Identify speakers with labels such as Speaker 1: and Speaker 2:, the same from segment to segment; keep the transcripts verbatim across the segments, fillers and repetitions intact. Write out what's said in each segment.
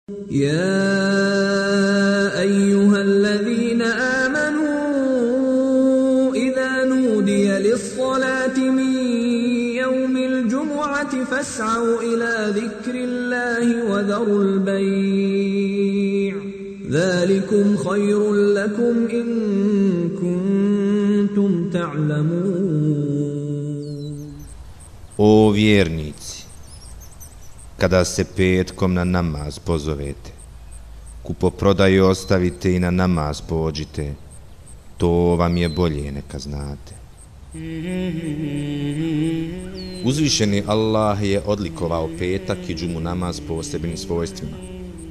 Speaker 1: يا أيها الذين آمنوا إذا نودي للصلاة من يوم الجمعة فاسعوا إلى ذكر الله وذروا البيع ذلكم خير لكم إن كنتم تعلمون.
Speaker 2: O vjernici, kada se petkom na namaz pozovete, kupoprodaju ostavite i na namaz pođite, to vam je bolje neka znate. Uzvišeni Allah je odlikovao petak i džumu namaz posebnim svojstvima,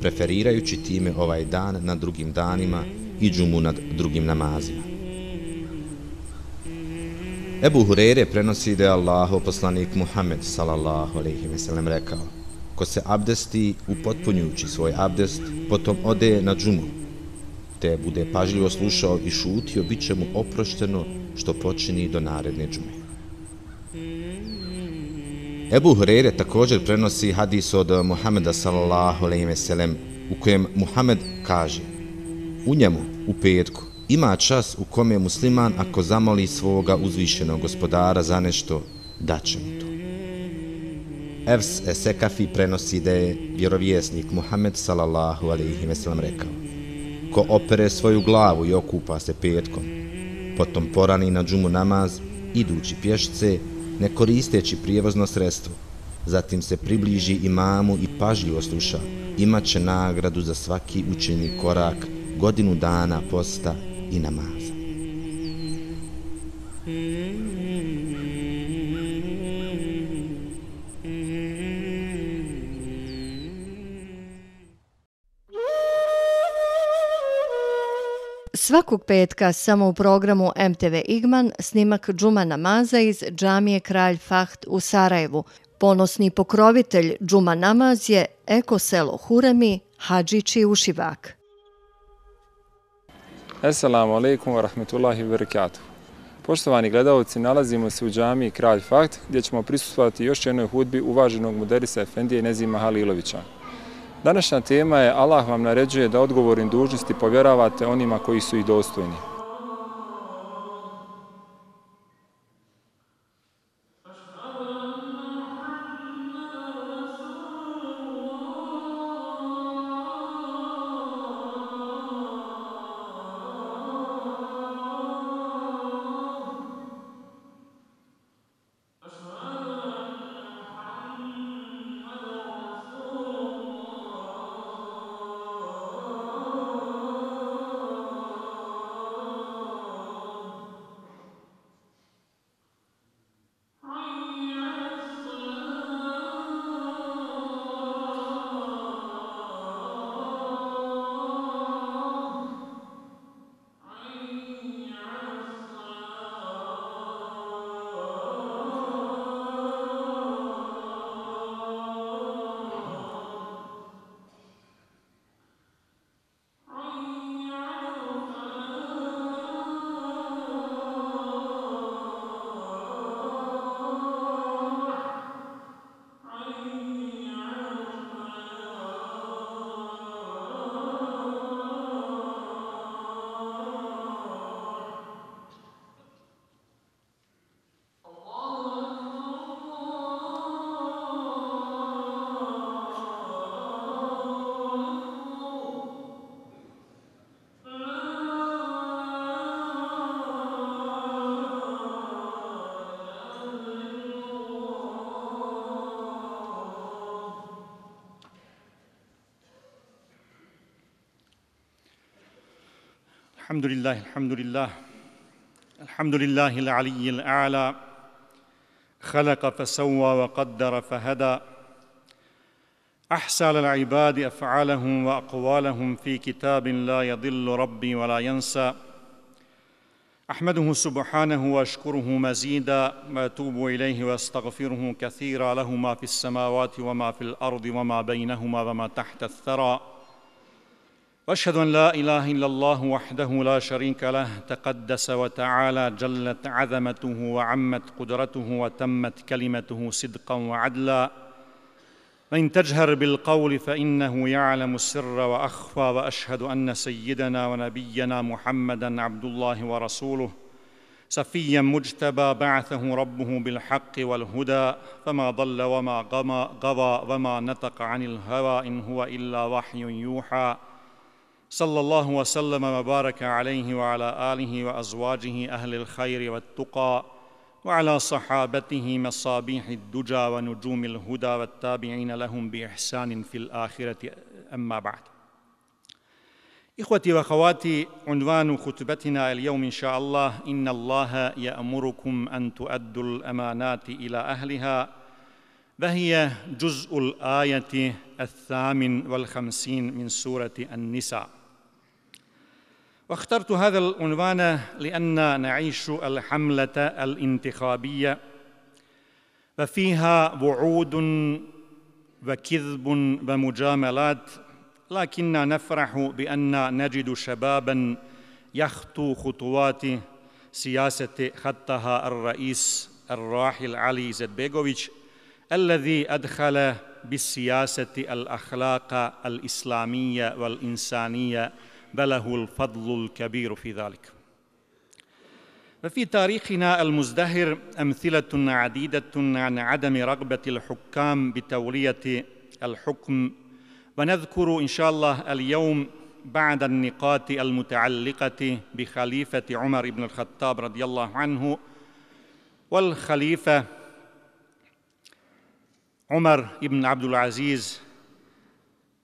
Speaker 2: preferirajući time ovaj dan nad drugim danima i džumu nad drugim namazima. Ebu Hureyre prenosi da je Allahov poslanik Muhammed sallallahu alejhi ve sellem rekao: ko se abdesti upotpunjujući svoj abdest, potom ode na džumu, te bude pažljivo slušao i šutio, bit će mu oprošteno što počini do naredne džume. Ebu Hureyre također prenosi hadis od Muhameda sallallahu alejhi ve sellem u kojem Muhammed kaže: u njemu, u petku, ima čas u kome musliman ako zamoli svoga uzvišenog gospodara za nešto, daće mu to. Evs Esekafi prenosi da je vjerovjesnik Muhammed sallallahu alejhi ve sellem rekao: ko opere svoju glavu i okupa se petkom, potom porani na džumu namaz, idući pješce, ne koristeći prijevozno sredstvo, zatim se približi imamu i pažljivo sluša, imat će nagradu za svaki učeni korak, godinu dana posta i namaza.
Speaker 3: Svakog petka samo u programu M T V Igman snimak džuma namaza iz džamije Kralj Fahd u Sarajevu. Ponosni pokrovitelj džuma namaz je Eko selo Huremi, Hadžići Ušivak.
Speaker 4: Assalamu alaikum wa rahmetullahi wa barakatuh. Poštovani gledalci, nalazimo se u džamiji Kralj Fahd gdje ćemo prisustvovati još jednoj hudbi uvaženog muderisa Efendije Nezima Halilovića. Današnja tema je: Allah vam naređuje da odgovornim dužnosti povjeravate onima koji su ih dostojni.
Speaker 5: الحمد لله الحمد لله الحمد لله العلي الأعلى خلق فسوى وقدر فهدى أحصى للعباد أفعالهم وأقوالهم في كتاب لا يضل ربي ولا ينسى أحمده سبحانه وأشكره مزيدا وأتوب إليه وأستغفره كثيرا له ما في السماوات وما في الأرض وما بينهما وما تحت الثرى وأشهد أن لا إله إلا الله وحده لا شريك له تقدس وتعالى جلت عظمته وعمت قدرته وتمت كلمته صدقا وعدلا وإن تجهر بالقول فإنه يعلم السر وأخفى وأشهد أن سيدنا ونبينا محمدًا عبد الله ورسوله صفيًا مجتبى بعثه ربه بالحق والهدى فما ضل وما غوى وما نطق عن الهوى إن هو إلا وحي يوحى صلى الله وسلم وبارك عليه وعلى آله وأزواجه أهل الخير والتقى وعلى صحابته مصابيح الدجى ونجوم الهدى والتابعين لهم بإحسان في الآخرة أما بعد. إخوتي وأخواتي، عنوان خطبتنا اليوم إن شاء الله إن الله يأمركم أن تؤدوا الأمانات إلى أهلها، وهي جزء الآية الثامن والخمسين من سورة النساء. واخترت هذا العنوان لأن نعيش الحملة الانتخابية وفيها وعود وكذب ومجاملات، لكننا نفرح بأن نجد شباباً يخطو خطوات سياسة خطها الرئيس الراحل علي إزzetbegović الذي أدخل بالسياسة الأخلاق الإسلامية والإنسانية وله الفضل الكبير في ذلك. ففي تاريخنا المزدهر أمثلة عديدة عن عدم رغبة الحكام بتولية الحكم، ونذكر إن شاء الله اليوم بعد النقاط المتعلقة بخليفة عمر بن الخطاب رضي الله عنه والخليفة عمر بن عبد العزيز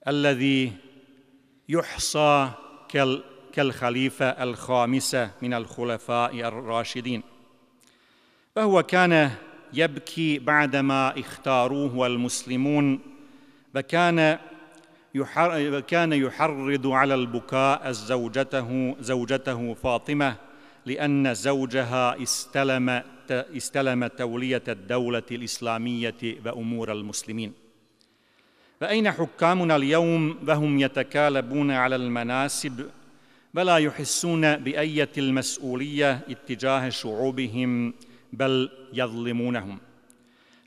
Speaker 5: الذي يحصى كالخليفة الخامسة من الخلفاء الراشدين. فهو كان يبكي بعدما اختاروه المسلمون، وكان وكان يحرض على البكاء زوجته زوجته فاطمة لأن زوجها استلم استلم تولية الدولة الإسلامية وأمور المسلمين. فأين حكامنا اليوم وهم يتكالبون على المناصب ولا يحسون بأية المسؤولية اتجاه شعوبهم بل يظلمونهم؟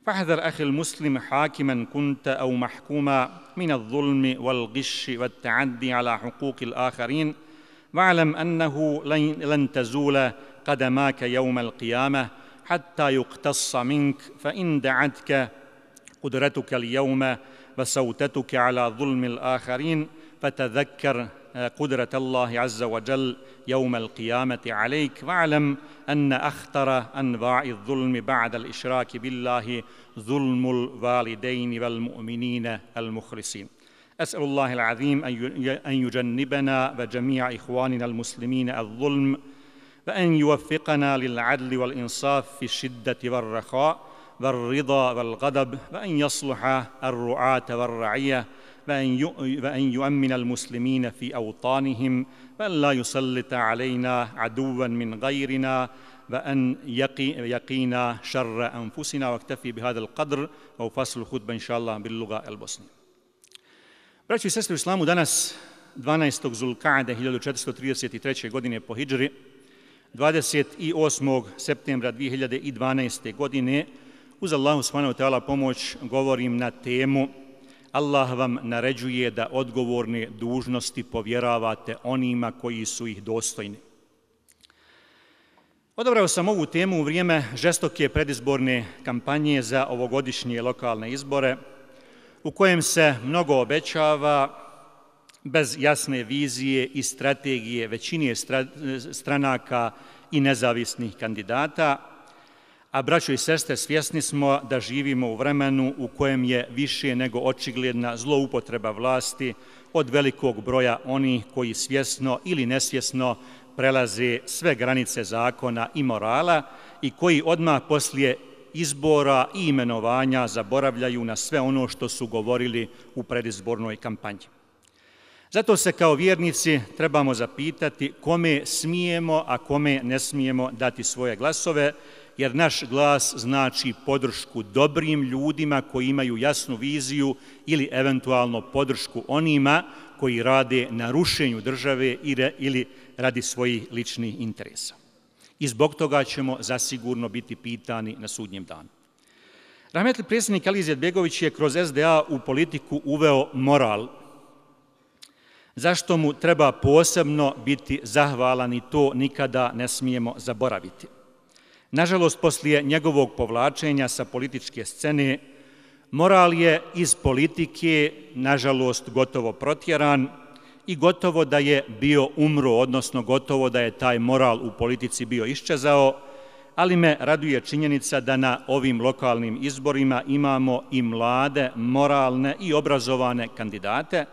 Speaker 5: فاحذر أخي المسلم حاكماً كنت أو محكوما من الظلم والغش والتعدي على حقوق الآخرين، واعلم أنه لن تزول قدماك يوم القيامة حتى يقتص منك، فإن دعتك قدرتك اليوم وسوتتك على ظلم الآخرين فتذكر قدرة الله عز وجل يوم القيامة عليك، واعلم أن أخطر أنواع الظلم بعد الإشراك بالله ظلم الوالدين والمؤمنين المخلصين. أسأل الله العظيم أن يجنبنا وجميع إخواننا المسلمين الظلم، وأن يوفقنا للعدل والإنصاف في الشدة والرخاء والرضا والغضب، وأن يصلح الرعاة والرعية، وأن يؤمن المسلمين في أوطانهم، وأن لا يسلط علينا عدوا من غيرنا، وأن يقينا شر أنفسنا. واكتفي بهذا القدر وفصل الخطبة إن شاء الله باللغة البosnije. Braćo i sestre u islamu, danas dvanaestog Zulkade hiljadu četiristo trideset treće. godine po hidžri, dvadeset osmog septembra dvije hiljade dvanaeste. godine, uz Allahu subhanahu wa ta'ala pomoć govorim na temu Allah vam naređuje da odgovorne dužnosti povjeravate onima koji su ih dostojni. Odabrao sam ovu temu u vrijeme žestoke predizborne kampanje za ovogodišnje lokalne izbore, u kojem se mnogo obećava bez jasne vizije i strategije većine stranaka i nezavisnih kandidata, a braćo i sestre, svjesni smo da živimo u vremenu u kojem je više nego očigledna zloupotreba vlasti od velikog broja onih koji svjesno ili nesvjesno prelaze sve granice zakona i morala i koji odmah poslije izbora i imenovanja zaboravljaju na sve ono što su govorili u predizbornoj kampanji. Zato se kao vjernici trebamo zapitati kome smijemo, a kome ne smijemo dati svoje glasove, jer naš glas znači podršku dobrim ljudima koji imaju jasnu viziju ili eventualno podršku onima koji rade na rušenju države ili radi svojih ličnih interesa. I zbog toga ćemo zasigurno biti pitani na sudnjem danu. Rahmetli predsjednik Ali Izetbegović je kroz S D A u politiku uveo moral, zašto mu treba posebno biti zahvalan i to nikada ne smijemo zaboraviti. Nažalost, poslije njegovog povlačenja sa političke scene, moral je iz politike, nažalost, gotovo protjeran i gotovo da je bio umro, odnosno gotovo da je taj moral u politici bio iščezao, ali me raduje činjenica da na ovim lokalnim izborima imamo i mlade, moralne i obrazovane kandidate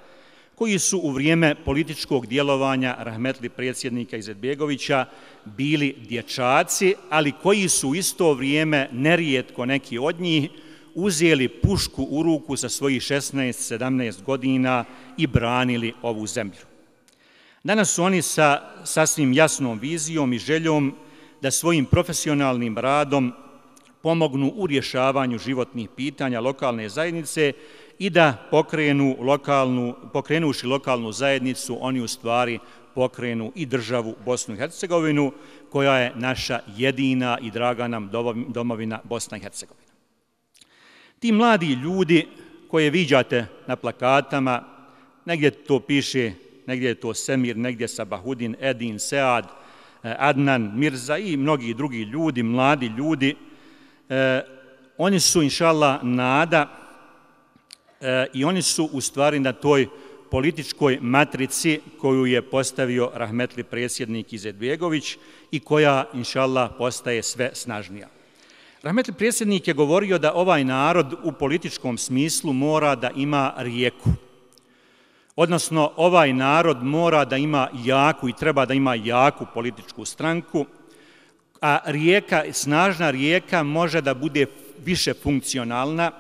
Speaker 5: koji su u vrijeme političkog djelovanja rahmetli predsjednika Izetbegovića bili dječaci, ali koji su u isto vrijeme, nerijetko neki od njih, uzeli pušku u ruku sa svojih šesnaest sedamnaest godina i branili ovu zemlju. Danas su oni sa sasvim jasnom vizijom i željom da svojim profesionalnim radom pomognu u rješavanju životnih pitanja lokalne zajednice i da pokrenu lokalnu, pokrenuši lokalnu zajednicu, oni u stvari pokrenu i državu Bosnu i Hercegovinu, koja je naša jedina i draga nam domovina Bosna i Hercegovina. Ti mladi ljudi koje viđate na plakatama, negdje to piše, negdje je to Semir, negdje Sabahudin, Edin, Sead, Adnan, Mirza i mnogi drugi ljudi, mladi ljudi, eh, oni su, inšallah, nada eh, i oni su u stvari na toj političkoj matrici koju je postavio rahmetli predsjednik Izetbegović i koja, inšallah, postaje sve snažnija. Rahmetli predsjednik je govorio da ovaj narod u političkom smislu mora da ima rijeku. Odnosno, ovaj narod mora da ima jaku i treba da ima jaku političku stranku, a rijeka, snažna rijeka može da bude više funkcionalna,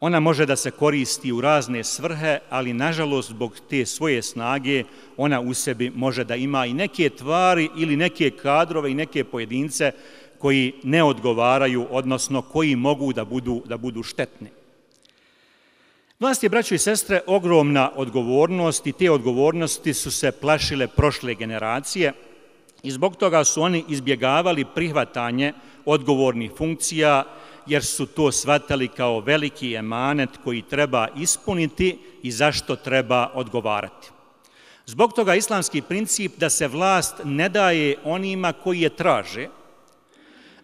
Speaker 5: ona može da se koristi u razne svrhe, ali nažalost zbog te svoje snage ona u sebi može da ima i neke tvari ili neke kadrove i neke pojedince koji ne odgovaraju, odnosno koji mogu da budu, da budu štetni. Vlast je, braćo i sestre, ogromna odgovornost i te odgovornosti su se plašile prošle generacije i zbog toga su oni izbjegavali prihvatanje odgovornih funkcija jer su to shvatali kao veliki emanet koji treba ispuniti i zašto treba odgovarati. Zbog toga islamski princip da se vlast ne daje onima koji je traže,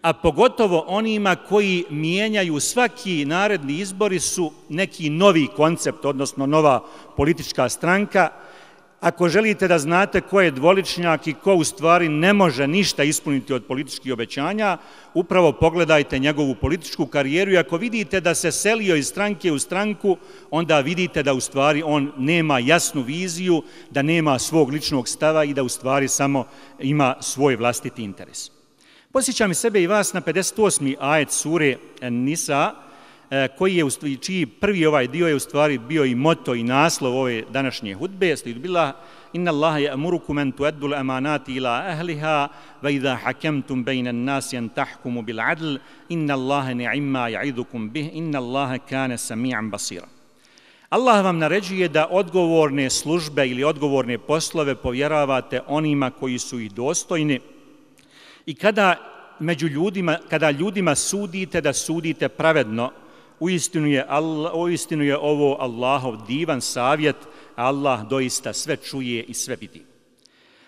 Speaker 5: a pogotovo onima koji mijenjaju svaki naredni izbori su neki novi koncept, odnosno nova politička stranka. Ako želite da znate ko je dvoličnjak i ko u stvari ne može ništa ispuniti od političkih obećanja, upravo pogledajte njegovu političku karijeru i ako vidite da se selio iz stranke u stranku, onda vidite da u stvari on nema jasnu viziju, da nema svog ličnog stava i da u stvari samo ima svoj vlastiti interes. Posjećam i sebe i vas na pedeset osmi ajet sure Nisa, koji je, čiji prvi ovaj dio je u stvari bio i moto i naslov ove današnje hudbe, slijed bila Inna Allaha ya'murukum an tu'addu al-amanati ila ahliha wa idha hakemtum bayna an-nasi an tahkumu bil 'adl inna Allaha ni'ma ya'idukum bih inna Allaha kana sami'an basira. Allah vam naređuje da odgovorne službe ili odgovorne poslove povjeravate onima koji su ih dostojni i kada među ljudima, kada ljudima sudite, da sudite pravedno. Uistinu je, Allah, uistinu je ovo Allahov divan savjet, Allah doista sve čuje i sve vidi.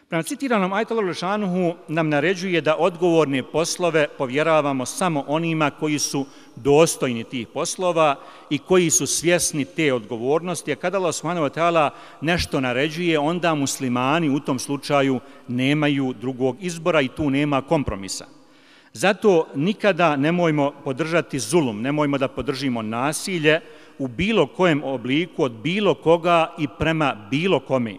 Speaker 5: Prema citiranom ajetu Allahu dželešanuhu nam naređuje da odgovorne poslove povjeravamo samo onima koji su dostojni tih poslova i koji su svjesni te odgovornosti, a kada Allah subhanahu wa ta'ala nešto naređuje, onda muslimani u tom slučaju nemaju drugog izbora i tu nema kompromisa. Zato nikada nemojmo podržati zulum, nemojmo da podržimo nasilje u bilo kojem obliku od bilo koga i prema bilo kome.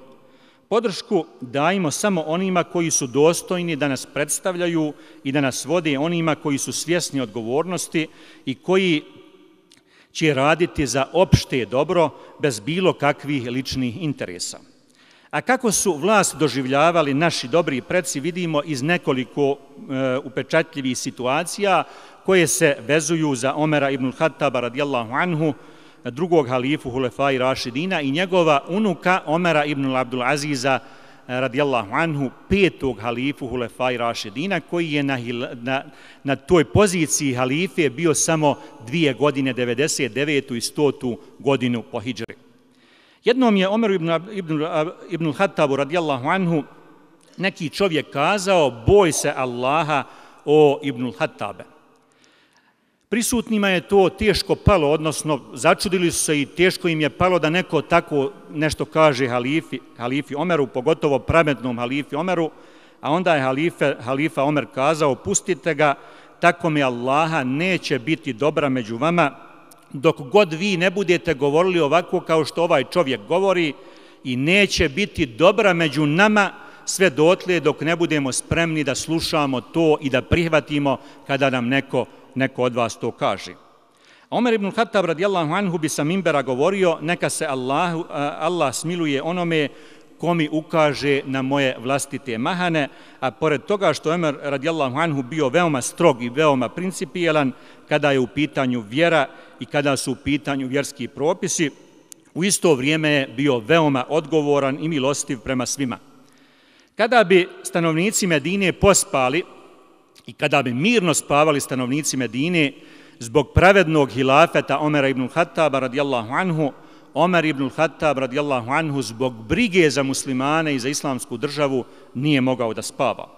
Speaker 5: Podršku dajmo samo onima koji su dostojni da nas predstavljaju i da nas vode, onima koji su svjesni odgovornosti i koji će raditi za opšte dobro bez bilo kakvih ličnih interesa. A kako su vlast doživljavali naši dobri preci, vidimo iz nekoliko e, upečatljivih situacija koje se vezuju za Omera ibn Khattaba radijallahu anhu, drugog halifu Hulefai Rašidina i njegova unuka Omera ibn Abdul Aziza radijallahu anhu, petog halifu Hulefaj Rašidina, koji je na, na, na toj poziciji halife bio samo dvije godine, devedeset devetu i stotu godinu po hidžri. Jednom je Omeru ibn, ibn, ibn Hatabu radijallahu anhu neki čovjek kazao: boj se Allaha, o Ibn Hatabe. Prisutnima je to teško palo, odnosno začudili su se i teško im je palo da neko tako nešto kaže halifi, halifi Omeru, pogotovo pravednom halifi Omeru, a onda je halife, halifa Omer kazao: pustite ga, tako mi Allaha neće biti dobra među vama, dok god vi ne budete govorili ovako kao što ovaj čovjek govori, i neće biti dobra među nama sve dotle dok ne budemo spremni da slušamo to i da prihvatimo kada nam neko, neko od vas to kaže. Omer ibn Hatab radijallahu anhu bi sa mimbera govorio: neka se Allah, Allah smiluje onome ko mi ukaže na moje vlastite mahane, a pored toga što Omer radijallahu anhu bio veoma strog i veoma principijelan kada je u pitanju vjera i kada su u pitanju vjerski propisi, u isto vrijeme je bio veoma odgovoran i milostiv prema svima. Kada bi stanovnici Medine pospali i kada bi mirno spavali stanovnici Medine zbog pravednog hilafeta Omera ibn Hataba radijallahu anhu, Omer ibn Hatab radijallahu anhu zbog brige za muslimane i za islamsku državu nije mogao da spava.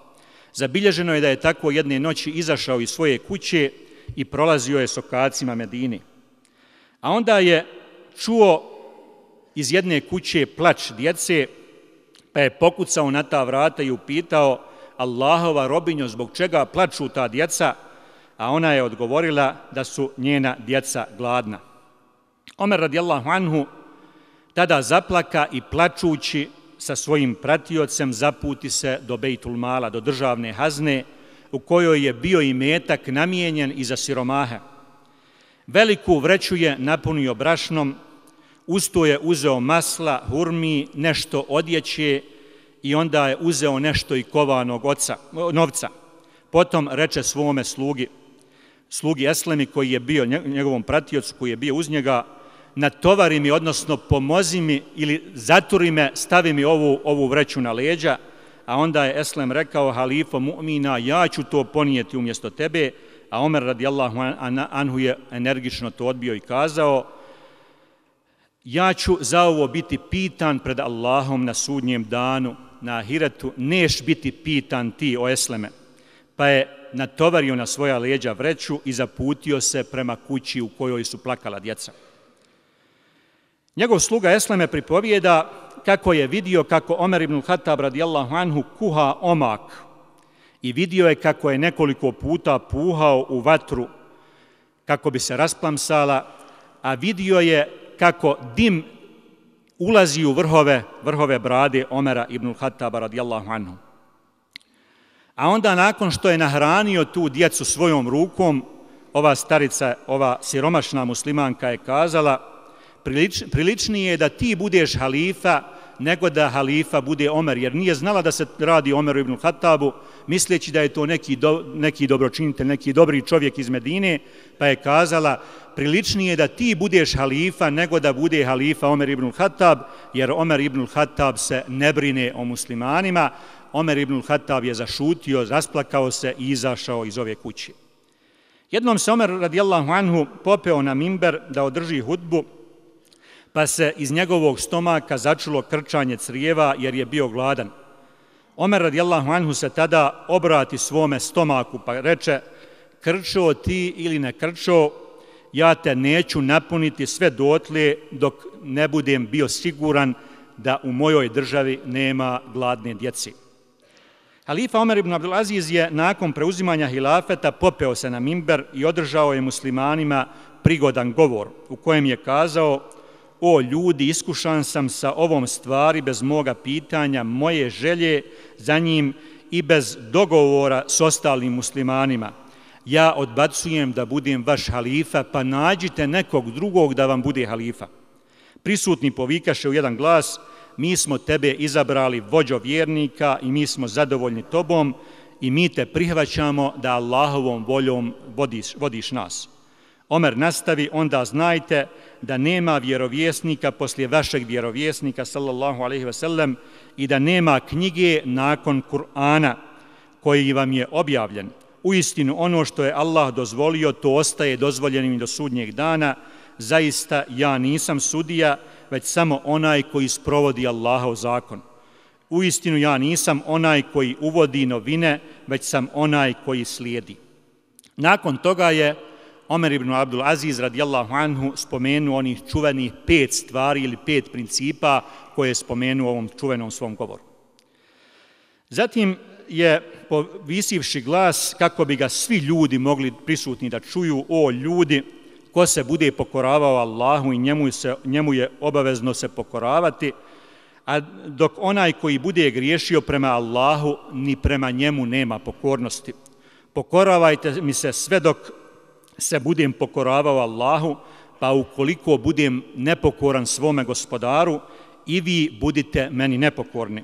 Speaker 5: Zabilježeno je da je tako jedne noći izašao iz svoje kuće i prolazio je sokacima Medine. A onda je čuo iz jedne kuće plač djece, pa je pokucao na ta vrata i upitao: Allahova robinjo, zbog čega plaču ta djeca? A ona je odgovorila da su njena djeca gladna. Omer radijallahu anhu tada zaplaka i plačući sa svojim pratiocem zaputi se do Bejtul Mala, do državne hazne, u kojoj je bio imetak namijenjen i za siromahe. Veliku vreću je napunio brašnom, usto je uzeo masla, hurmi, nešto odjeće i onda je uzeo nešto i kovanog oca, novca. Potom reče svome slugi, slugi Eslemi koji je bio njegovom pratiocu, koji je bio uz njega: natovari mi, odnosno pomozi mi ili zaturi me, stavi mi ovu, ovu vreću na leđa. A onda je Eslem rekao: halifo mu'mina, ja ću to ponijeti umjesto tebe. A Omer radijallahu anhu je energično to odbio i kazao: ja ću za ovo biti pitan pred Allahom na sudnjem danu, na ahiretu, neš biti pitan ti, o Esleme. Pa je natovario na svoja leđa vreću i zaputio se prema kući u kojoj su plakala djeca. Njegov sluga Esleme pripovijeda kako je vidio kako Omer ibn Hatab radijallahu anhu kuha omak i vidio je kako je nekoliko puta puhao u vatru kako bi se rasplamsala, a vidio je kako dim ulazi u vrhove, vrhove brade Omera ibn Hataba radijallahu anhu. A onda nakon što je nahranio tu djecu svojom rukom, ova starica, ova siromašna muslimanka je kazala: Prilič, priličnije je da ti budeš halifa nego da halifa bude Omer, jer nije znala da se radi Omeru ibn Hatabu, misleći da je to neki, do, neki dobročinitelj, neki dobri čovjek iz Medine, pa je kazala: priličnije je da ti budeš halifa nego da bude halifa Omer ibn Hatab, jer Omer ibn Hatab se ne brine o muslimanima. Omer ibn Hatab je zašutio, rasplakao se i izašao iz ove kuće. Jednom se Omer radijallahu anhu popeo na mimber da održi hudbu, pa se iz njegovog stomaka začulo krčanje crijeva jer je bio gladan. Omer radijallahu anhu se tada obrati svome stomaku pa reče: krčo ti ili ne krčo, ja te neću napuniti sve dotle dok ne budem bio siguran da u mojoj državi nema gladne djeci. Halifa Omer ibn Abdulaziz je nakon preuzimanja hilafeta popeo se na mimber i održao je muslimanima prigodan govor u kojem je kazao: o ljudi, iskušan sam sa ovom stvari bez moga pitanja, moje želje za njim i bez dogovora s ostalim muslimanima. Ja odbacujem da budem vaš halifa, pa nađite nekog drugog da vam bude halifa. Prisutni povikaše u jedan glas: mi smo tebe izabrali vođo vjernika i mi smo zadovoljni tobom i mi te prihvaćamo da Allahovom voljom vodiš, vodiš nas. Omer nastavi, onda znajte da nema vjerovjesnika poslije vašeg vjerovjesnika, sallallahu alejhi ve sellem, i da nema knjige nakon Kur'ana koji vam je objavljen. Uistinu ono što je Allah dozvolio, to ostaje dozvoljenim do sudnjeg dana. Zaista ja nisam sudija, već samo onaj koji sprovodi Allahov zakon. Uistinu ja nisam onaj koji uvodi novine, već sam onaj koji slijedi. Nakon toga je Omer ibn Abdul Aziz radijallahu anhu spomenuo onih čuvenih pet stvari ili pet principa koje je spomenuo u ovom čuvenom svom govoru. Zatim je povisivši glas kako bi ga svi ljudi mogli prisutni da čuju: o ljudi, ko se bude pokoravao Allahu i njemu, se, njemu je obavezno se pokoravati, a dok onaj koji bude griješio prema Allahu, ni prema njemu nema pokornosti. Pokoravajte mi se sve dok se budem pokoravao Allahu, pa ukoliko budem nepokoran svome gospodaru, i vi budite meni nepokorni.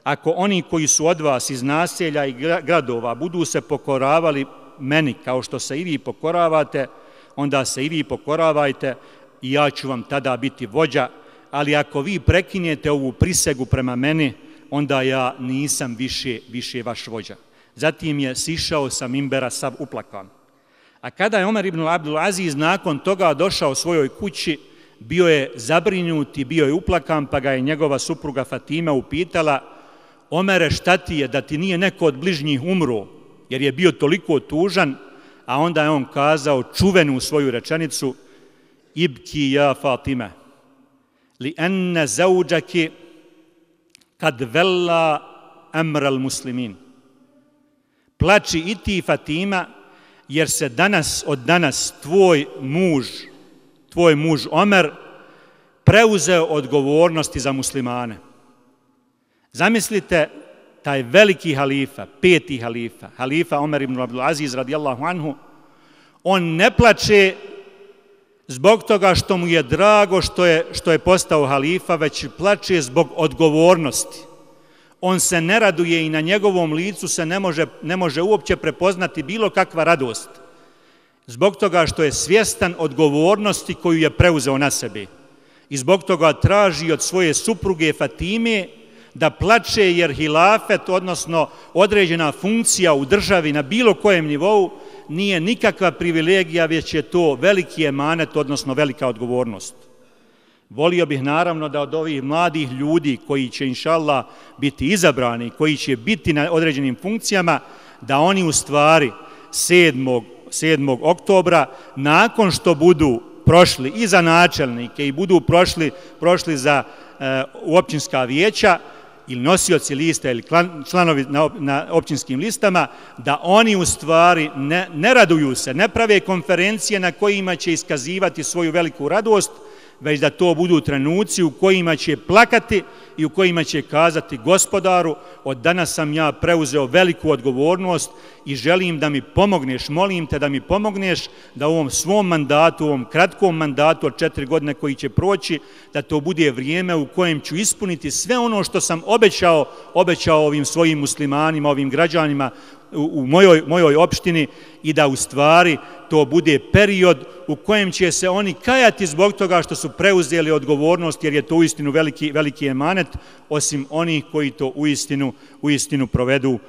Speaker 5: Ako oni koji su od vas iz naselja i gradova budu se pokoravali meni kao što se i vi pokoravate, onda se i vi pokoravajte i ja ću vam tada biti vođa, ali ako vi prekinete ovu prisegu prema meni, onda ja nisam više, više vaš vođa. Zatim je sišao sa mimbera sav uplakan. A kada je Omer ibn Abdul Aziz nakon toga došao svojoj kući, bio je zabrinut i bio je uplakan, pa ga je njegova supruga Fatima upitala: Omere, šta ti je, da ti nije neko od bližnjih umro, jer je bio toliko tužan, a onda je on kazao čuvenu svoju rečenicu: ibki ja Fatime, li enne zauđaki kad vella emral muslimin. Plači i ti, Fatima, jer se danas, od danas tvoj muž, tvoj muž Omer preuzeo odgovornosti za muslimane. Zamislite taj veliki halifa, peti halifa, halifa Omer ibn Abdul Aziz radijallahu anhu, on ne plače zbog toga što mu je drago što je, što je postao halifa, već plače zbog odgovornosti. On se ne raduje i na njegovom licu se ne može, ne može uopće prepoznati bilo kakva radost, zbog toga što je svjestan odgovornosti koju je preuzeo na sebe. I zbog toga traži od svoje supruge Fatime da plače, jer hilafet, odnosno određena funkcija u državi na bilo kojem nivou, nije nikakva privilegija, već je to veliki emanet, odnosno velika odgovornost. Volio bih naravno da od ovih mladih ljudi koji će inšallah biti izabrani, koji će biti na određenim funkcijama, da oni u stvari sedmog oktobra, nakon što budu prošli i za načelnike i budu prošli, prošli za e, općinska vijeća ili nosioci lista ili članovi na, na općinskim listama, da oni u stvari ne, ne raduju se, ne prave konferencije na kojima će iskazivati svoju veliku radost, već da to budu trenuci u kojima će plakati i u kojima će kazati: gospodaru, od danas sam ja preuzeo veliku odgovornost i želim da mi pomogneš, molim te da mi pomogneš da u ovom svom mandatu, u ovom kratkom mandatu od četiri godine koji će proći, da to bude vrijeme u kojem ću ispuniti sve ono što sam obećao, obećao ovim svojim muslimanima, ovim građanima u mojoj, mojoj opštini, i da u stvari to bude period u kojem će se oni kajati zbog toga što su preuzeli odgovornost, jer je to uistinu veliki, veliki emanet, osim onih koji to uistinu, uistinu provedu,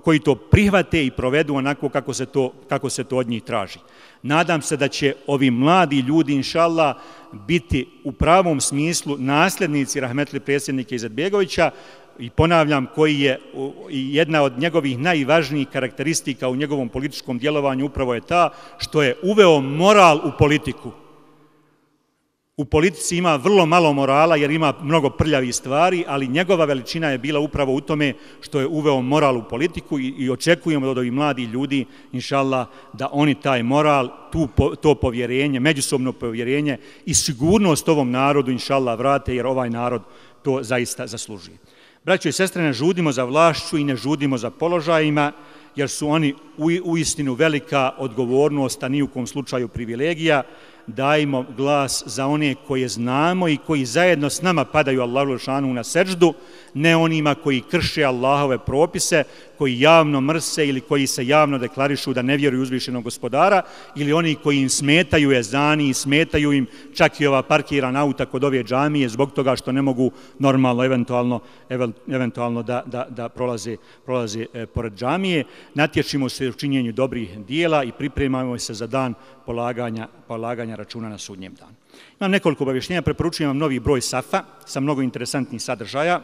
Speaker 5: koji to prihvate i provedu onako kako se to, kako se to od njih traži. Nadam se da će ovi mladi ljudi, inšallah, biti u pravom smislu nasljednici rahmetli predsjednika Izetbegovića, i ponavljam, koji je jedna od njegovih najvažnijih karakteristika u njegovom političkom djelovanju upravo je ta što je uveo moral u politiku. U politici ima vrlo malo morala jer ima mnogo prljavih stvari, ali njegova veličina je bila upravo u tome što je uveo moral u politiku i, i očekujemo od ovih mladih ljudi, inšallah, da oni taj moral, tu, to povjerenje, međusobno povjerenje i sigurnost ovom narodu, inšallah, vrate, jer ovaj narod to zaista zaslužuje. Braćo i sestre, ne žudimo za vlašću i ne žudimo za položajima, jer su oni u istinu velika odgovornost, a ni u kom slučaju privilegija. Dajmo glas za one koje znamo i koji zajedno s nama padaju Allahu dželešanu na seđdu, ne onima koji krše Allahove propise, koji javno mrse ili koji se javno deklarišu da ne vjeruju uzvišenog gospodara, ili oni koji im smetaju ezani i smetaju im čak i ova parkirana auta kod ove džamije zbog toga što ne mogu normalno, eventualno, eventualno da, da, da prolaze, prolaze e, pored džamije. Natječimo se u činjenju dobrih dijela i pripremamo se za dan polaganja, polaganja računa na sudnjem danu. Imam nekoliko obavještenja, preporučujem vam novi broj safa sa mnogo interesantnih sadržaja.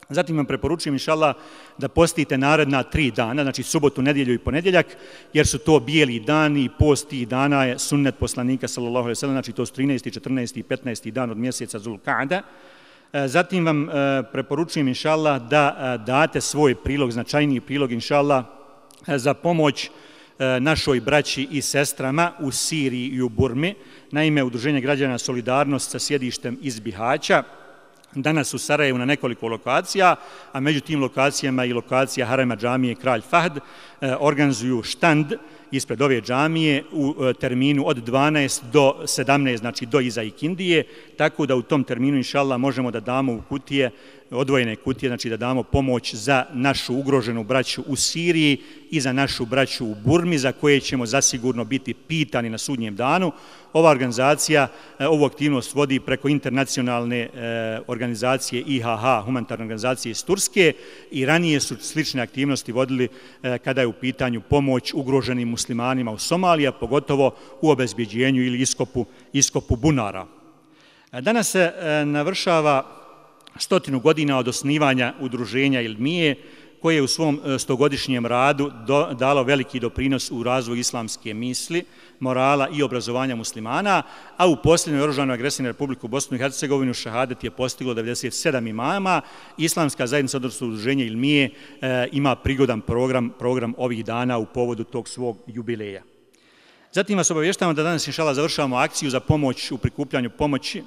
Speaker 5: Zatim vam preporučujem, inšallah, da postite naredna tri dana, znači subotu, nedjelju i ponedjeljak, jer su to bijeli dani i post tih dana je sunnet poslanika, sallallahu alejhi ve sellem, znači to su trinaesti, četrnaesti i petnaesti dan od mjeseca Zulkada. Zatim vam preporučujem, inšallah, da date svoj prilog, značajniji prilog, inšallah, za pomoć našoj braći i sestrama u Siriji i u Burmi. Naime, Udruženje građana Solidarnost sa sjedištem iz Bihaća danas u Sarajevu na nekoliko lokacija, a među tim lokacijama i lokacija Harema džamije Kralj Fahd, organizuju štand ispred ove džamije u terminu od dvanaest do sedamnaest, znači do iza ikindije, tako da u tom terminu, inšallah, možemo da damo u kutije, odvojene kutije, znači da damo pomoć za našu ugroženu braću u Siriji i za našu braću u Burmi, za koje ćemo zasigurno biti pitani na sudnjem danu. Ova organizacija, ovu aktivnost vodi preko internacionalne organizacije I H H, humanitarne organizacije iz Turske, i ranije su slične aktivnosti vodili kada je u pitanju pomoć ugroženim muslimanima u Somaliji, a pogotovo u obezbjeđenju ili iskopu, iskopu bunara. Danas se navršava stotinu godina od osnivanja udruženja Ilmije, koje je u svom stogodišnjem radu do, dalo veliki doprinos u razvoju islamske misli, morala i obrazovanja muslimana, a u posljednjoj oružanoj agresiji na Republiku Bosnu i Hercegovinu šehadet je postiglo devedeset sedam imama. Islamska zajednica, odnosno udruženje Ilmije, e, ima prigodan program, program ovih dana u povodu tog svog jubileja. Zatim vas obavještavamo da danas, inšallah, završavamo akciju za pomoć u prikupljanju pomoći,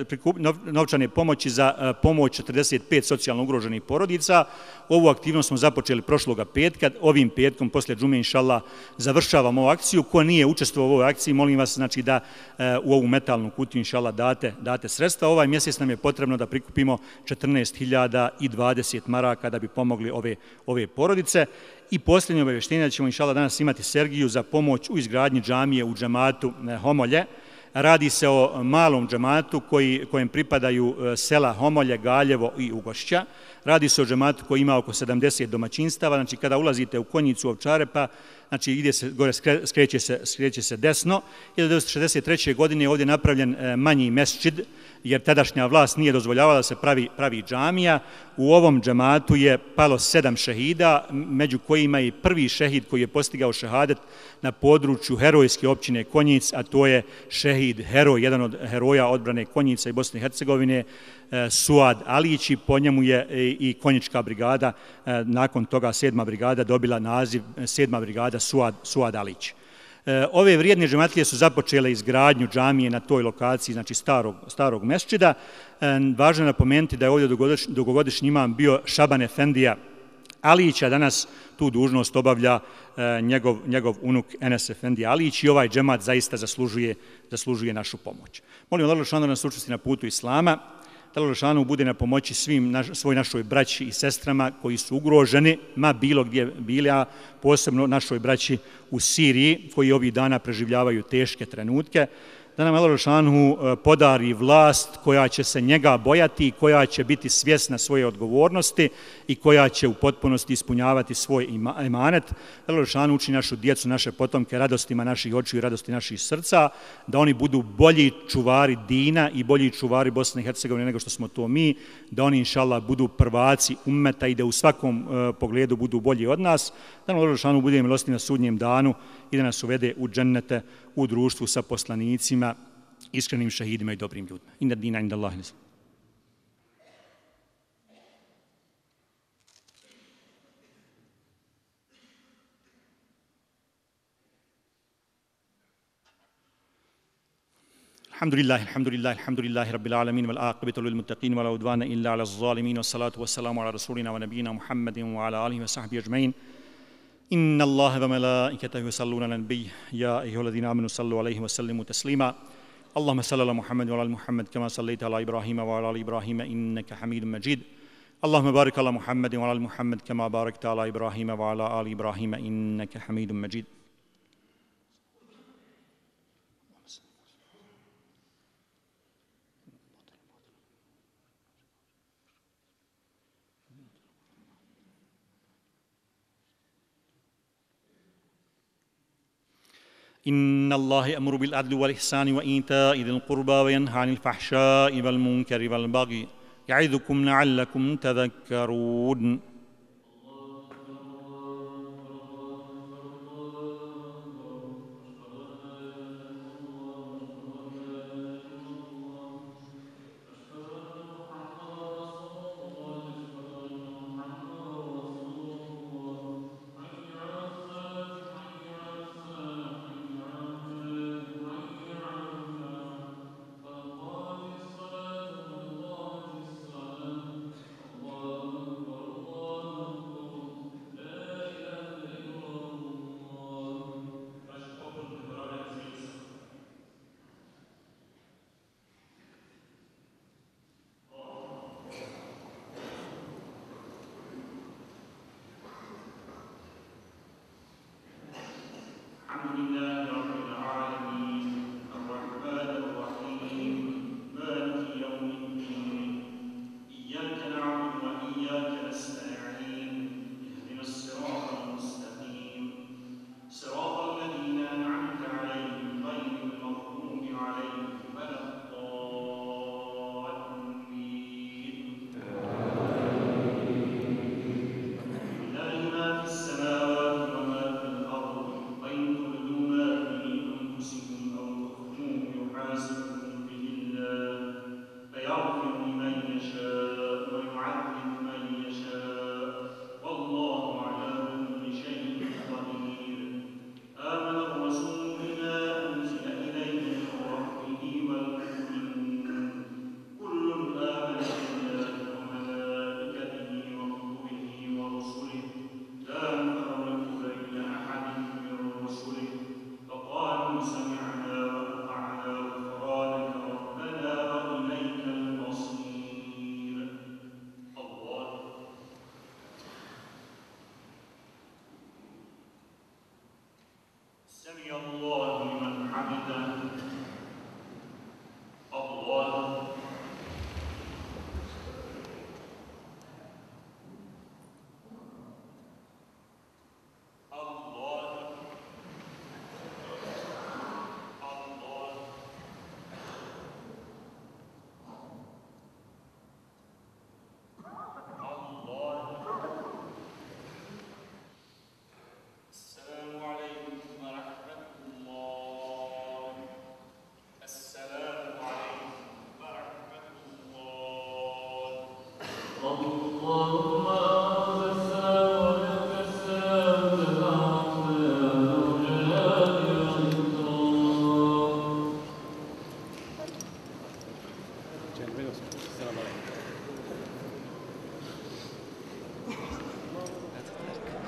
Speaker 5: prikup, novčane pomoći za pomoć četrdeset pet socijalno ugroženih porodica. Ovu aktivnost smo započeli prošloga petka. Ovim petkom, poslije džume, inšallah, završavamo ovu akciju. Ko nije učestvovao u ovoj akciji, molim vas, znači, da u ovu metalnu kutiju, inšallah, date, date sredstva. Ovaj mjesec nam je potrebno da prikupimo četrnaest hiljada dvadeset maraka da bi pomogli ove, ove porodice. I posljednje obavještenje da ćemo, inšallah, danas imati Sergiju za pomoć u izgradnji džamije u džamatu Homolje. Radi se o malom džamatu koji, kojem pripadaju sela Homolje, Galjevo i Ugošća. Radi se o džamatu koji ima oko sedamdeset domaćinstava. Znači, kada ulazite u Konjicu Ovčare, pa znači, ide se, gore skreće se, skreće se desno. hiljadu devetsto šezdeset treće. godine je ovdje napravljen manji mesdžid, jer tadašnja vlast nije dozvoljavala da se pravi, pravi džamija. U ovom džamatu je palo sedam šehida, među kojima je prvi šehid koji je postigao šehadet na području herojske općine Konjic, a to je šehid heroj, jedan od heroja odbrane Konjica i Bosne i Hercegovine, Suad Alić, i po njemu je i konjička brigada, nakon toga sedma brigada dobila naziv sedma brigada Suad, Suad Alić. Ove vrijedne džematlije su započele izgradnju džamije na toj lokaciji, znači starog, starog mesdžida. Važno je napomenuti da je ovdje dugogodišnji imam bio Šaban Efendija Alić, a danas tu dužnost obavlja njegov, njegov unuk Enes Efendija Alić, i ovaj džemat zaista zaslužuje, zaslužuje našu pomoć. Molim Allah da nas učesti na putu Islama, da Allah Žešanu bude na pomoći svim naš, svoj našoj braći i sestrama koji su ugroženi, ma bilo gdje bili, a posebno našoj braći u Siriji, koji ovih dana preživljavaju teške trenutke. Da nam Allah Žešanu podari vlast koja će se njega bojati i koja će biti svjesna svoje odgovornosti i koja će u potpunosti ispunjavati svoj emanet. Da Allah Žešanu uči našu djecu, naše potomke radostima naših očiju i radosti naših srca, da oni budu bolji čuvari dina i bolji čuvari Bosne i Hercegovine nego što smo to mi, da oni, inšallah, budu prvaci ummeta i da u svakom uh, pogledu budu bolji od nas, da nam Allah Žešanu bude milosti na sudnjem danu i da nas uvede u džennete u društvu sa poslanicima, iskrenim šehidima i dobrim ljudima. Inna dina inda Allahi nisam. Alhamdulillahi, alhamdulillahi, alhamdulillahi, rabbil alamin, wal aqibatu lil muttaqin, wa la udwana illa ala zalimin, wa salatu wa salamu ala rasulina wa nabiyina Muhammadin wa ala alihi wa sahbihi ajma'in. Inna Allaha wa malaikatahu yusalluna ala nabiy ya ayyuhalladhina amanu sallu alayhi wa sallimu taslima. Allahumma salli ala Muhammad wa ala Muhammad kama sallaita ala Ibrahim wa ala ali Ibrahim innaka Hamidum Majid. اللهم بارك على محمد وعلى آل محمد كما باركت على إبراهيم وعلى آل إبراهيم إنك حميد مجيد. إن الله يأمر بالعدل والإحسان وإيتاء ذي القربى وينهى عن الفحشاء والمنكر والبغي يعظكم لعلكم تذكرون.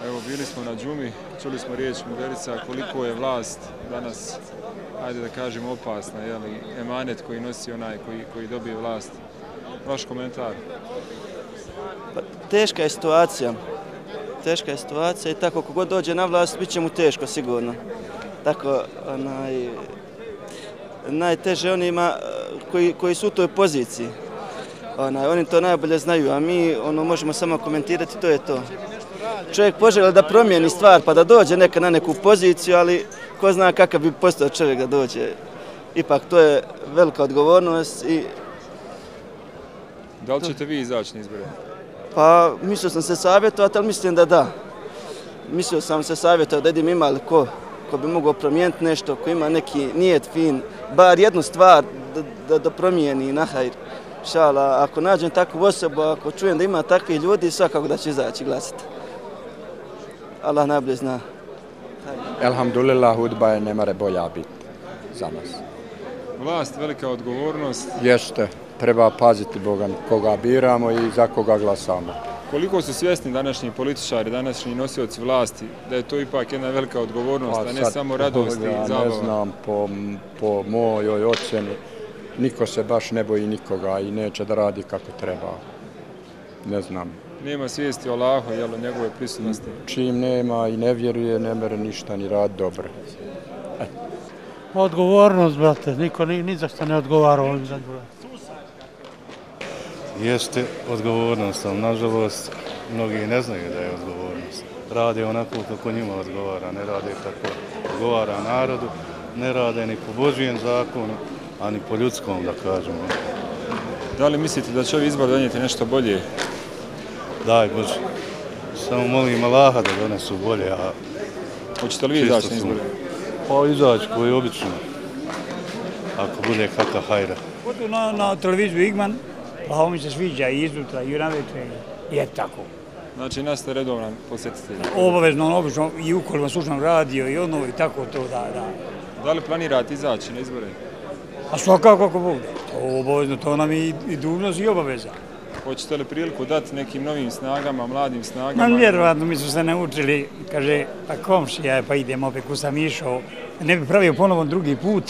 Speaker 4: Evo, bili smo na džumi, čuli smo riječ muderica koliko je vlast danas, ajde da kažem, opasna, jeli, emanet koji nosi onaj koji, koji dobije vlast. Vaš komentar?
Speaker 6: Pa, teška je situacija. Teška je situacija i tako kogod dođe na vlast, bit će mu teško sigurno. Tako, onaj, najteže onima koji, koji su u toj poziciji. Onaj, oni to najbolje znaju, a mi ono, možemo samo komentirati, to je to. Čovjek poželio da promijeni stvar pa da dođe neka na neku poziciju, ali ko zna kakav bi postao čovjek da dođe. Ipak to je velika odgovornost i...
Speaker 4: Da li ćete vi izaći na izbore?
Speaker 6: Pa mislio sam se savjetovati, ali mislim da da. Mislio sam se savjetovati da idem ima li ko, ko bi mogao promijeniti nešto, ko ima neki nijet fin, bar jednu stvar da, da, da promijeni na hajr. Šala, ako nađem takvu osobu, ako čujem da ima takvih ljudi, svakako da će izaći glasiti. Allah najbolje zna.
Speaker 7: Elhamdulillah, hudba je ne mare bolja biti za nas.
Speaker 4: Vlast, velika odgovornost.
Speaker 7: Jeste, treba paziti Boga koga biramo i za koga glasamo.
Speaker 4: Koliko su svjesni današnji političari, današnji nosioci vlasti, da je to ipak jedna velika odgovornost, a ne samo radost i zabava?
Speaker 7: Ne znam, po, po mojoj ocjeni, niko se baš ne boji nikoga i neće da radi kako treba. ne znam.
Speaker 4: Nema svijesti o Allahu, jel, o njegove prisutnosti?
Speaker 7: Čim nema i ne vjeruje, ne mere ništa ni rad dobro. E.
Speaker 8: Odgovornost, brate, niko ni, ni za što ne odgovara ovim zadnjim.
Speaker 9: Jeste odgovornost, ali nažalost mnogi ne znaju da je odgovornost. Rade onako kako njima odgovara, ne rade kako odgovara narodu, ne rade ni po Božijem zakonu, a ni po ljudskom, da kažemo.
Speaker 4: Da li mislite da će ovi izbor donijeti nešto bolje?
Speaker 9: Daj Bože, samo molim Allaha da donesu bolje, a...
Speaker 4: Hoćete li vi izaći na izbore?
Speaker 9: Pa izaći koji je obično, ako bude kakav hajra.
Speaker 8: Odu na, na televiziju Igman, pa ovo mi se sviđa i iznutra i naveče, je tako.
Speaker 4: Znači, nas ste redovan posjetitelj?
Speaker 8: Obavezno, obično, i ukoliko slušam radio i ono i tako to, da, da.
Speaker 4: Da li planirate izaći na izbore?
Speaker 8: A svakako kako bude. To obavezno, to nam i, i dužnost i obaveza.
Speaker 4: Hoćete li priliku dati nekim novim snagama, mladim snagama?
Speaker 8: Ma vjerovatno, mi su se naučili, kaže, pa komšija, pa idem opet ku sam išao, ne bi pravio ponovo drugi put,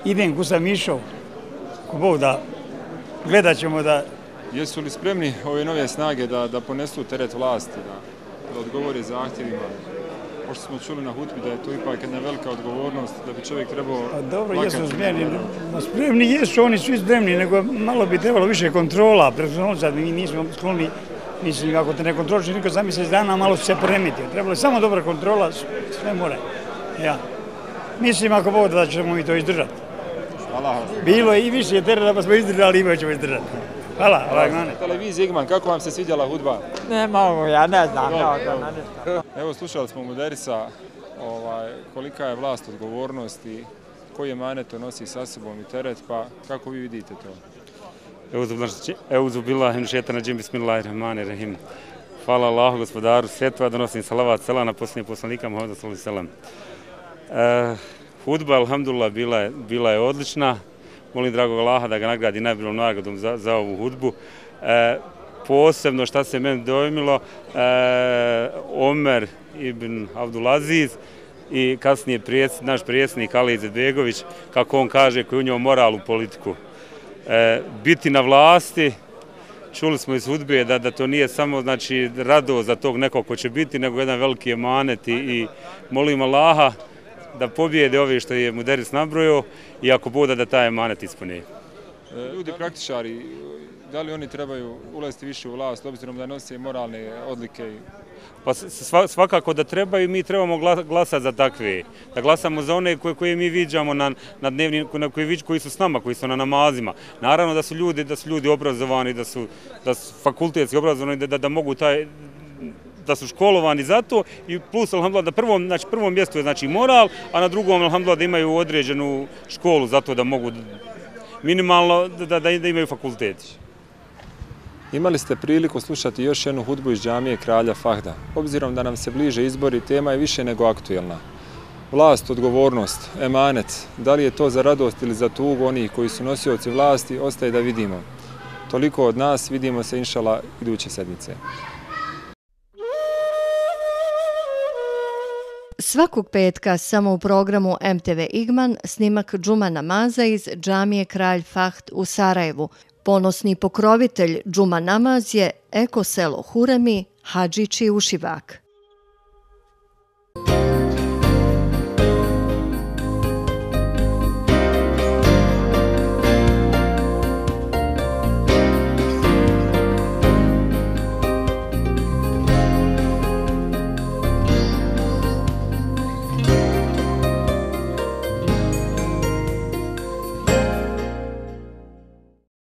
Speaker 8: idem ku sam išao, ko Bog da, gledat ćemo da...
Speaker 4: Jesu li spremni ove nove snage da, da ponesu teret vlasti, da, da odgovore zahtjevima? Pošto smo čuli na hutbi da je to ipak jedna velika odgovornost, da bi čovjek trebao...
Speaker 8: Pa dobro, jesu spremni, no, spremni jesu, oni svi spremni, nego malo bi trebalo više kontrola, preko sad mi nismo skloni, mislim, ako te ne kontroliš, niko za mjesec dana malo se poremetio. Trebalo je samo dobra kontrola, sve more. Ja. Mislim, ako Bog da ćemo mi to izdržati.
Speaker 4: Hvala.
Speaker 8: Bilo je i više terena, pa smo izdržali, ima ćemo izdržati. Hvala, hvala.
Speaker 4: Televizija Igman, kako vam se svidjela hudba?
Speaker 8: Ne mogu, ja ne znam.
Speaker 4: Evo, slušali smo Muderisa, ovaj, kolika je vlast odgovornost i koji je manet to nosi sa sobom i teret, pa kako vi vidite to?
Speaker 10: Euzu billahi min šejtana racim, bismillahirrahmanirrahim. Hvala Allahu, gospodaru svjetova, donosim salavat selam na posljednjeg poslanika Muhameda sallallahu alejhi ve sellem. Hudba, alhamdulillah, bila je, bila je odlična. Molim dragog Allaha da ga nagradi najboljom nagradom za, za ovu hudbu. E, posebno šta se meni dojmilo, e, Omer ibn Abdulaziz i kasnije prijes, naš prijesnik Ali Izetbegović, kako on kaže, koji u njom moral u politiku. E, biti na vlasti, čuli smo iz hudbe da, da to nije samo znači, radost za tog nekog ko će biti, nego jedan veliki emanet i, i molim Allaha da pobijede ove što je Muderis nabrojio i ako bude da taj emanet ispuni.
Speaker 4: Ljudi praktičari, da li oni trebaju ulaziti više u vlast, obzirom da nose moralne odlike?
Speaker 10: Pa svakako da trebaju, mi trebamo glasati za takve. Da glasamo za one koje, koje mi viđamo na, na dnevnim, na koji, koji su s nama, koji su na namazima. Naravno da su ljudi, da su ljudi obrazovani, da su, da su fakultetski obrazovani, da, da, da mogu taj da su školovani za to i plus, alhamdulillah, na prvom, znači, prvom mjestu je znači moral, a na drugom, alhamdulillah, da imaju određenu školu za to da mogu minimalno da, da, da imaju fakulteti.
Speaker 4: Imali ste priliku slušati još jednu hudbu iz džamije Kralja Fahda. Obzirom da nam se bliže izbori, tema je više nego aktuelna. Vlast, odgovornost, emanet, da li je to za radost ili za tugu onih koji su nosioci vlasti, ostaje da vidimo. Toliko od nas, vidimo se inšala iduće sedmice.
Speaker 3: Svakog petka samo u programu M T V Igman snimak džuma namaza iz džamije Kralj Fahd u Sarajevu. Ponosni pokrovitelj džuma namaz je eko selo Huremi, Hadžići Ušivak.